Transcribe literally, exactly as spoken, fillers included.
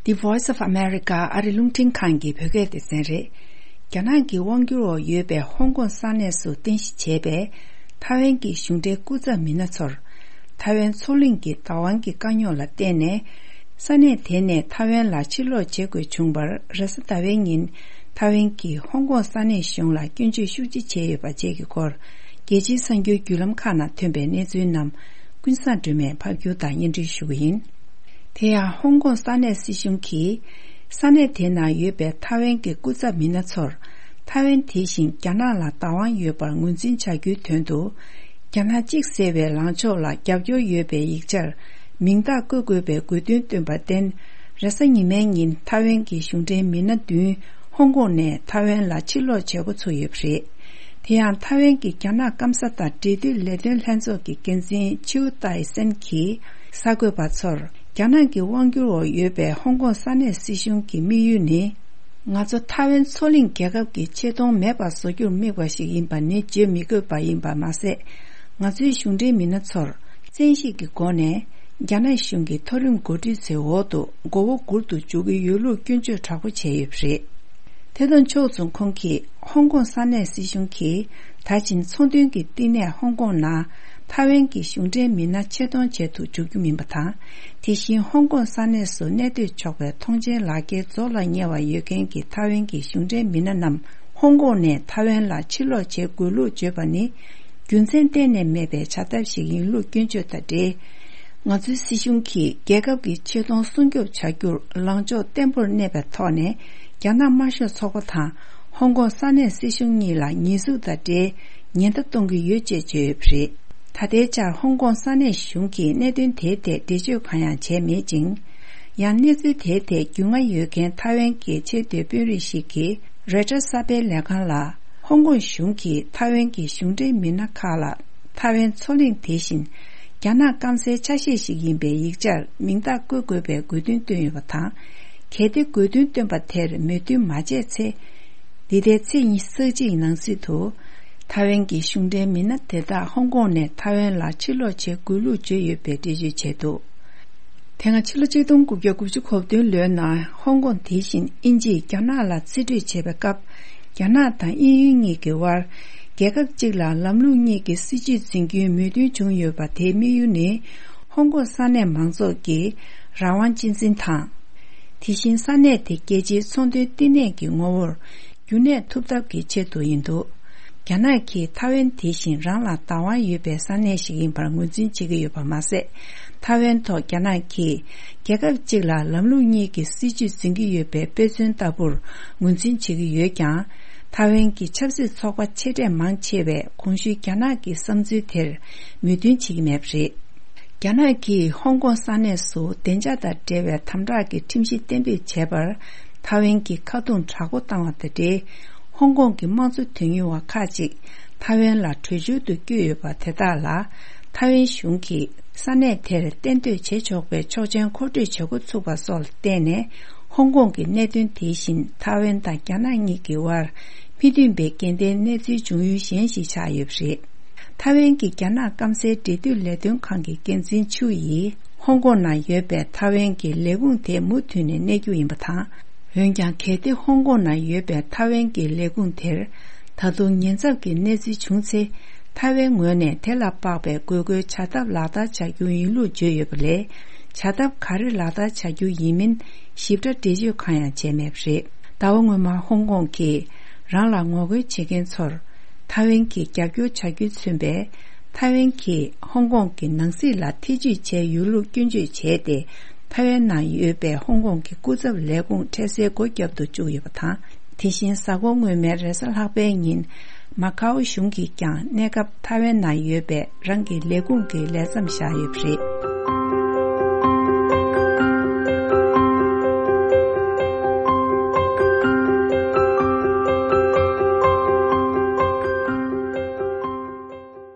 The Voice of America ཨ་རི་རླུང་འཕྲིན་ཁང་གི་བོད་སྐད་སྡེ་ཚན་རེད། རྒྱ་ནག་གི་དབང་སྒྱུར་འོག་ཡོད་པའི་ཧོང་ཀོང་ས་གནས་སུ་རྟེན་གཞི་བྱས་པའི་ཐའེ་ཝན་གྱི་གཞུང་འབྲེལ་སྐུ་ཚབ་མི་སྣ་ཚོར། ཐའེ་ཝན་མཚོ་གླིང་གི་བདག་དབང་གི་དཀའ་རྙོག་ལ་བརྟེན་ནས། ས་གནས་དེ་ནས་ཐའེ་ཝན་ལ་ཕྱིར་ལོག་བྱེད་དགོས་བྱུང་བར། རེས་གཟའ་ཟླ་བའི་ཉིན་ཐའེ་ཝན་གྱིས་ཧོང་ཀོང་ས་གནས་གཞུང་ལ་སྐྱོན་བརྗོད་ཤུགས་ཆེ་བྱས་ཡོད་པ་བཅས་ཀྱི་སྐོར། རྒྱལ་སྤྱིའི་གསར་འགྱུར་བརྒྱུད་ལམ་ཁག་ནང་ཐོན་པའི་གནས་ཚུལ་རྣམས་ཀུན་བཟང་སྒྲོལ་མས་ཕབ་སྒྱུར་དང་སྙན་སྒྲོན་ཞུ་གི་ཡིན། དེ་ཡང་ཧོང་ཀོང་ས་གནས་སྲིད་གཞུང་གིས། ས་གནས་དེ་ན་ཡོད་པའི་ཐའེ་ཝན་གྱི་སྐུ་ཚབ་མི་སྣ་ཚོར། ཐའེ་ཝན་དེ་བཞིན་རྒྱ་ནག་ལ་བདག་དབང་ཡོད་པར་ངོས་འཛིན་བྱ་རྒྱུའི་དོན་དུ། རྒྱ་ནག་གཅིག་ཟེར་བའི་ལངས་ཕྱོགས་ལ་རྒྱབ་སྐྱོར་ཡོད་པའི་ཡིག་ཆར་མིང་རྟགས་བཀོད་དགོས་པའི་དགོས་འདུན་བཏོན་པར་བརྟེན། རེས་གཟའ་ཉི་མའི་ཉིན་ཐའེ་ཝན་གྱི་གཞུང་འབྲེལ་མི་སྣ་བདུན་ཧོང་ཀོང་ནས་ཐའེ་ཝན་ལ་ཕྱིར་ལོག་བྱེད་འགོ་ཚུགས་ཡོད་པ་རེད། དེ་ཡང་ཐའེ་ཝན་གྱི་རྒྱ་ནག་སྐམ་ས་དང་འབྲེལ་མཐུད་ལས་དོན་ལྷན་ཚོགས་ཀྱི་འགན་འཛིན་ཆིའུ་ཏའི་སན་གྱིས་གསར་འགོད་པ་ཚོར། རྒྱ་ནག་གི་དབང་སྒྱུར་འོག་ཡོད་པའི་ཧོང་ཀོང་ས་གནས་སྲིད་གཞུང་གི་དམིགས་ཡུལ་ནི། ང་ཚོ་ཐའེ་ཝན་མཚོ་གླིང་རྒྱལ་ཁབ་ཀྱི་ཆེ་མཐོང་མེད་པར་བཟོ་རྒྱུར་དམིགས་པ་ཞིག་ཡིན་པ་ནི་བརྗོད་མི་དགོས་པ་ཡིན་པ་མ་ཟད། ང་ཚོའི་གཞུང་འབྲེལ་མི་སྣ་ཚོར་བཙན་ཤེད་ཀྱི་སྒོ་ནས་རྒྱ་ནག་གཞུང་གི་མཐོ་རིམ་འགོ་ཁྲིད་ཚོའི་འོག་ཏུ་མགོ་བོ་སྒུར་དུ་འཇུག་གི་ཡོད་ལུགས་སྐྱོན་བརྗོད་དྲག་པོ་བྱས་ཡོད་པ་རེད། དེ་དང་ཕྱོགས་མཚུངས་ཁོང་གིས་ཧོང་ཀོང་ས་གནས་སྲིད་གཞུང་གིས་ད་ཕྱིན་ཚོང་དོན་གྱི་བསྟི་གནས་ཧོང་ཀོང་ནང་ཐའེ་ཝན་གྱི་གཞུང་འབྲེལ་མི་སྣ་ཆེད་གཏོང་བྱེད་དུ་འཇུག་རྒྱུ་མིན་པ་དང་། དེ་བཞིན་ཧོང་ཀོང་ས་གནས་སུ་གནས་སྡོད་ཆོག་པའི་ཐོངས་མཆན་ལག་འཁྱེར་རྫོགས་ལ་ཉེ་བ་ཡོད་མཁན་གྱི་ཐའེ་ཝན་གྱི་གཞུང་འབྲེལ་མི་སྣ་རྣམས་ཧོང་ཀོང་ནས་ཐའེ་ཝན་ལ་ཕྱིར་ལོག་བྱེད་དགོས་ལུགས་བརྗོད་པ་ནི། རྒྱུ་མཚན་གཏན་ནས་མེད་པའི་བྱ་ཐབས་ཤིག་ཡིན་ལུགས་སྐྱོན་བརྗོད་དང་འབྲེལ། ང་ཚོའི་སྲིད་གཞུང་གིས་རྒྱལ་ཁབ་ཀྱི་ཆེ་མཐོང་སྲུང་སྐྱོབ་བྱ་རྒྱུར་ལངས་ཕྱོགས་བརྟན་པོར་གནས་པའི་ཐོག་ནས། རྒྱ་ནག་དམར་ཤོག་ཚོགས་པ་དང་ཧོང་ཀོང་ས་གནས་སྲིད་གཞུང་གཉིས་ལ་ཉེས་འཛུགས་དང་འབྲེལ་ཉེན་བརྡ་གཏོང་གི་ཡོད་ཅེས་བརྗོད་ཡོད་པ་རེད། ད་ལྟའི་ཆར་ཧོང་ཀོང་ས་གནས་གཞུང་གིས་གནད་དོན་དེའི་ཐད་འགྲེལ་བརྗོད་གང་ཡང་བྱས་མེད་ཅིང་། ཡང་གནས་ཚུལ་དེའི་ཐད་རྒྱུས་མངའ་ཡོད་མཁན་ཐའེ་ཝན་གྱི་ཆེས་མཐོའི་དཔོན་རིགས་ཤིག་གིས་རོའི་ཊར་གསར་སྤེལ་ལས་ཁང་ལ། ཧོང་ཀོང་གཞུང་གིས་ཐའེ་ཝན་གྱི་གཞུང་འབྲེལ་མི་སྣ་ཁག་ལ་ཐའེ་ཝན་མཚོ་གླིང་དེ་བཞིན་རྒྱ་ནག་སྐམ་སའི་ཆ་ཤས་ཤིག་ཡིན་པའི་ཡིག་ཆར་མིང་རྟགས་བཀོད་དགོས་པའི་དགོས་འདུན་བཏོན་ཡོད་པ་དང་། གལ་ཏེ་དགོས་འདུན་བཏོན་པ་དེར་མོས་མཐུན་མ་བྱས་ཚེ། འདི་ཟླའི་ཚེས་ཉི་ཤུ་རྩ་གཅིག་ནང་ཚུད་དུ། ཐའེ་ཝན་གྱི་གཞུང་འབྲེལ་མི་སྣ་དེ་དག་ཧོང་ཀོང་ནས་ཐའེ་ཝན་ལ་ཕྱིར་ལོག་བྱེད་དགོས་ལུགས་བརྗོད་ཡོད་པའི་འགྲེལ་བརྗོད་བྱས་འདུག་དེ་སྔ་ཕྱི་ལོ་ཆིག་སྟོང་དགུ་བརྒྱ་དགུ་བཅུ་གོ་བདུན་ལོའི་ནང་ཧོང་ཀོང་དེ་བཞིན་དབྱིན་ཇིས་རྒྱ་ནག་ལ་རྩིས་སྤྲོད་བྱས་པའི་སྐབས། རྒྱ་ནག་དང་དབྱིན་ཡུལ་གཉིས་ཀྱི་དབར། རྒྱལ་ཁབ་གཅིག་ལ་ལམ་ལུགས་གཉིས་ཀྱི་སྲིད་ཇུས་འཛིན་རྒྱུའི་མོས་མཐུན་བྱུང་ཡོད་པ་དེའི་དམིགས་ཡུལ་ནི། ཧོང་ཀོང་ས་གནས་མང་ཚོགས་ཀྱི་རང་དབང་གཅེས་འཛིན་དང་། དེ་བཞིན་ས་གནས་དེ་རྒྱལ་སྤྱིའི་ཚོང་དོན་བསྟི་གནས་ཀྱི་ངོ་བོར། རྒྱུན་གནས་ཐུབ་ཐབས་ཀྱི་ཆེད་དུ་ཡིན་འདུག་རྒྱ་ནག་གིས་ཐའེ་ཝན་དེ་བཞིན་རང་ལ་བདག་དབང་ཡོད་པའི་ས་གནས་ཤིག་ཡིན་པར་ངོས་འཛིན་བྱེད་ཀྱི་ཡོད་པ་མ་ཟད། ཐའེ་ཝན་ཐོག་རྒྱ་ནག་གིས་རྒྱལ་ཁབ་གཅིག་ལ་ལམ་ལུགས་གཉིས་ཀྱི་སྲིད་ཇུས་འཛིན་གྱི་ཡོད་པའི་དཔེ་མཚོན་ལྟ་བུར་ངོས་འཛིན་བྱེད་ཀྱི་ཡོད་ཀྱང་། ཐའེ་ཝན་གྱི་ཆབ་སྲིད་ཚོགས་པ་ཆེ་གྲས་མང་ཆེ་བས་གོང་ཞུས་རྒྱ་ནག་གི་བསམ་ཚུལ་དེར་མོས་མཐུན་བྱེད་ཀྱི་མེད་པ་རེད། རྒྱ་ནག་གིས་ཧོང་ཀོང་ས་གནས་སུ་བདེ་འཇགས་དང་འབྲེལ་བའི་དམ་དྲག་གི་ཁྲིམས་གཞི་གཏན་འབེབས་བྱས་པར། ཐའེ་ཝན་གྱིས་ཁ་རྡུང་དྲག་པོ་བཏང་བ་དང་འབྲེལ། ཧོང་ཀོང་གི་དམངས་གཙོ་དོན་གཉེར་བ་ཁག་ཅིག་ཐའེ་ཝན་ལ་བྲོས་བྱོལ་དུ་བསྐྱོད་ཡོད་པ་དེ་དག་ལ། ཐའེ་ཝན་གཞུང་གིས་ས་གནས་དེར་གཏན་སྡོད་བྱེད་ཆོག་པའི་ཆོག་མཆན་མཁོ་སྤྲོད་བྱེད་འགོ་ཚུགས་པ་སོགས་ལ་བརྟེན་ནས། ཧོང་ཀོང་གི་གནད་དོན་དེ་བཞིན་ཐའེ་ཝན་དང་རྒྱ་ནག་གཉིས་ཀྱི་དབར་མི་མཐུན་པའི་འགལ་ཟླའི་གནས་ཚུལ་འབྱུང་ཡུལ་གཞན་ཞིག་ཆགས་ཡོད་པ་རེད། ཐའེ་ཝན་གྱིས་རྒྱ་ནག་སྐམ་སའི་འབྲེལ་མཐུད་ལས་དོན་ཁང་གི་འགན་འཛིན་ཆུ་ཡིས། ཧོང་ཀོང་ནང་ཡོད་པའི་ཐའེ་ཝན་གྱི་ལས་ཁུངས་དེ་མུ་མཐུད་ནས་གནས་རྒྱུ་ཡིན་པ་དང་། འོན་ཀྱང་། གལ་ཏེ་ཧོང་ཀོང་ནང་ཡོད་པའི་ཐའེ་ཝན་གྱི་ལས་ཁུངས་དེར། ད་དུང་ཉེན་ཚབས་ཀྱི་གནས་ཚུལ་བྱུང་ཚེ། ཐའེ་ཝན་ངོས་ནས་དེ་ལ་དཔག་པའི་དགོས་མཁོའི་བྱ་ཐབས་ལག་བསྟར་བྱ་རྒྱུ་ཡིན་ལུགས་བརྗོད་ཡོད་པ་ལས། བྱ་ཐབས་ག་རེ་ལག་བསྟར་བྱ་རྒྱུ་ཡིན་མིན་ཞིབ་ཕྲ་འགྲེལ་བརྗོད་གང་ཡང་བྱས་མེད་པ་རེད། ཟླ་བ་སྔོན་མ་ཧོང་ཀོང་གིས་རང་ལ་ངོ་རྒོལ་བྱེད་མཁན་ཚོར་ཐའེ་ཝན་གྱིས་རྒྱབ་སྐྱོར་བྱ་རྒྱུས་མཚོན་པའི་ཐའེ་ཝན་གྱིས་ཧོང་ཀོང་གི་ནང་སྲིད་ལ་ཐེ་ཇུས་བྱས་ཡོད་ལུགས་སྐྱོན་བརྗོད་བྱས་ཏེ། ཐའེ་ཝན་ནང་ཡོད་པའི་ཧོང་ཀོང་གི་སྐུ་ཚབ་ལས་ཁུངས་འཕྲལ་སེལ་སྒོ་བརྒྱབ་ཏུ་བཅུག་ཡོད་པ་དང་། དེ་བཞིན་གཟའ་འཁོར་སྔོན་མའི་རེས་གཟའ་ལྷག་པའི་ཉིན། མ་ཁའོ་གཞུང་གིས་ཀྱང་གནས་སྐབས་ཐའེ་ཝན་ནང་ཡོད་པའི་རང་གི་ལས་ཁུངས་ཀྱི་ལས་མཚམས་བཞག་ཡོད་པ་རེད།